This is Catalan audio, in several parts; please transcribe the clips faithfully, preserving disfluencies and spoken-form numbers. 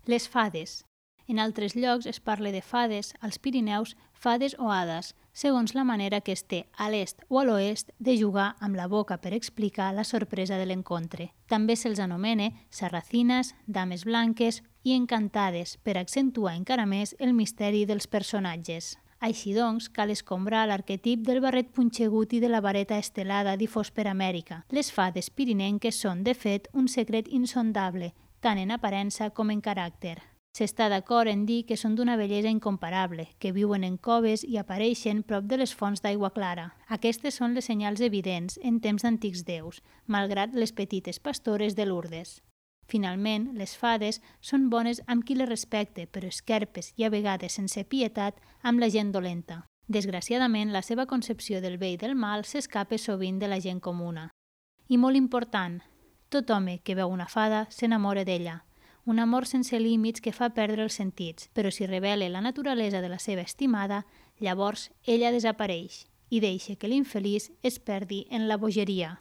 Les fades. En altres llocs es parla de fades, als Pirineus, fades o hades, segons la manera que es té a l'est o a l'oest de jugar amb la boca per explicar la sorpresa de l'encontre. També se'ls anomena sarracines, dames blanques i encantades per accentuar encara més el misteri dels personatges. Així doncs, cal escombrar l'arquetip del barret punxegut i de la vareta estelada difós per Amèrica. Les fades pirinenques són, de fet, un secret insondable, tant en aparença com en caràcter. S'està d'acord en dir que són d'una bellesa incomparable, que viuen en coves i apareixen prop de les fonts d'aigua clara. Aquestes són les senyals evidents en temps d'antics déus, malgrat les petites pastores de Lourdes. Finalment, les fades són bones amb qui les respecte, però esquerpes i a vegades sense pietat amb la gent dolenta. Desgraciadament, la seva concepció del bé i del mal s'escapa sovint de la gent comuna. I molt important, tot home que veu una fada s'enamora d'ella. Un amor sense límits que fa perdre els sentits, però si revela la naturalesa de la seva estimada, llavors ella desapareix i deixa que l'infeliç es perdi en la bogeria.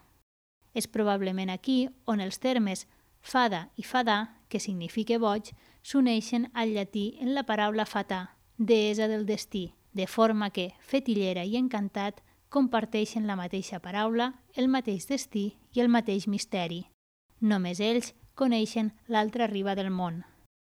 És probablement aquí on els termes fada i fadà, que significa boig, s'uneixen al llatí en la paraula fatà, deessa del destí, de forma que fetillera i encantat comparteixen la mateixa paraula, el mateix destí i el mateix misteri. Només ells coneixen l'altra riba del món.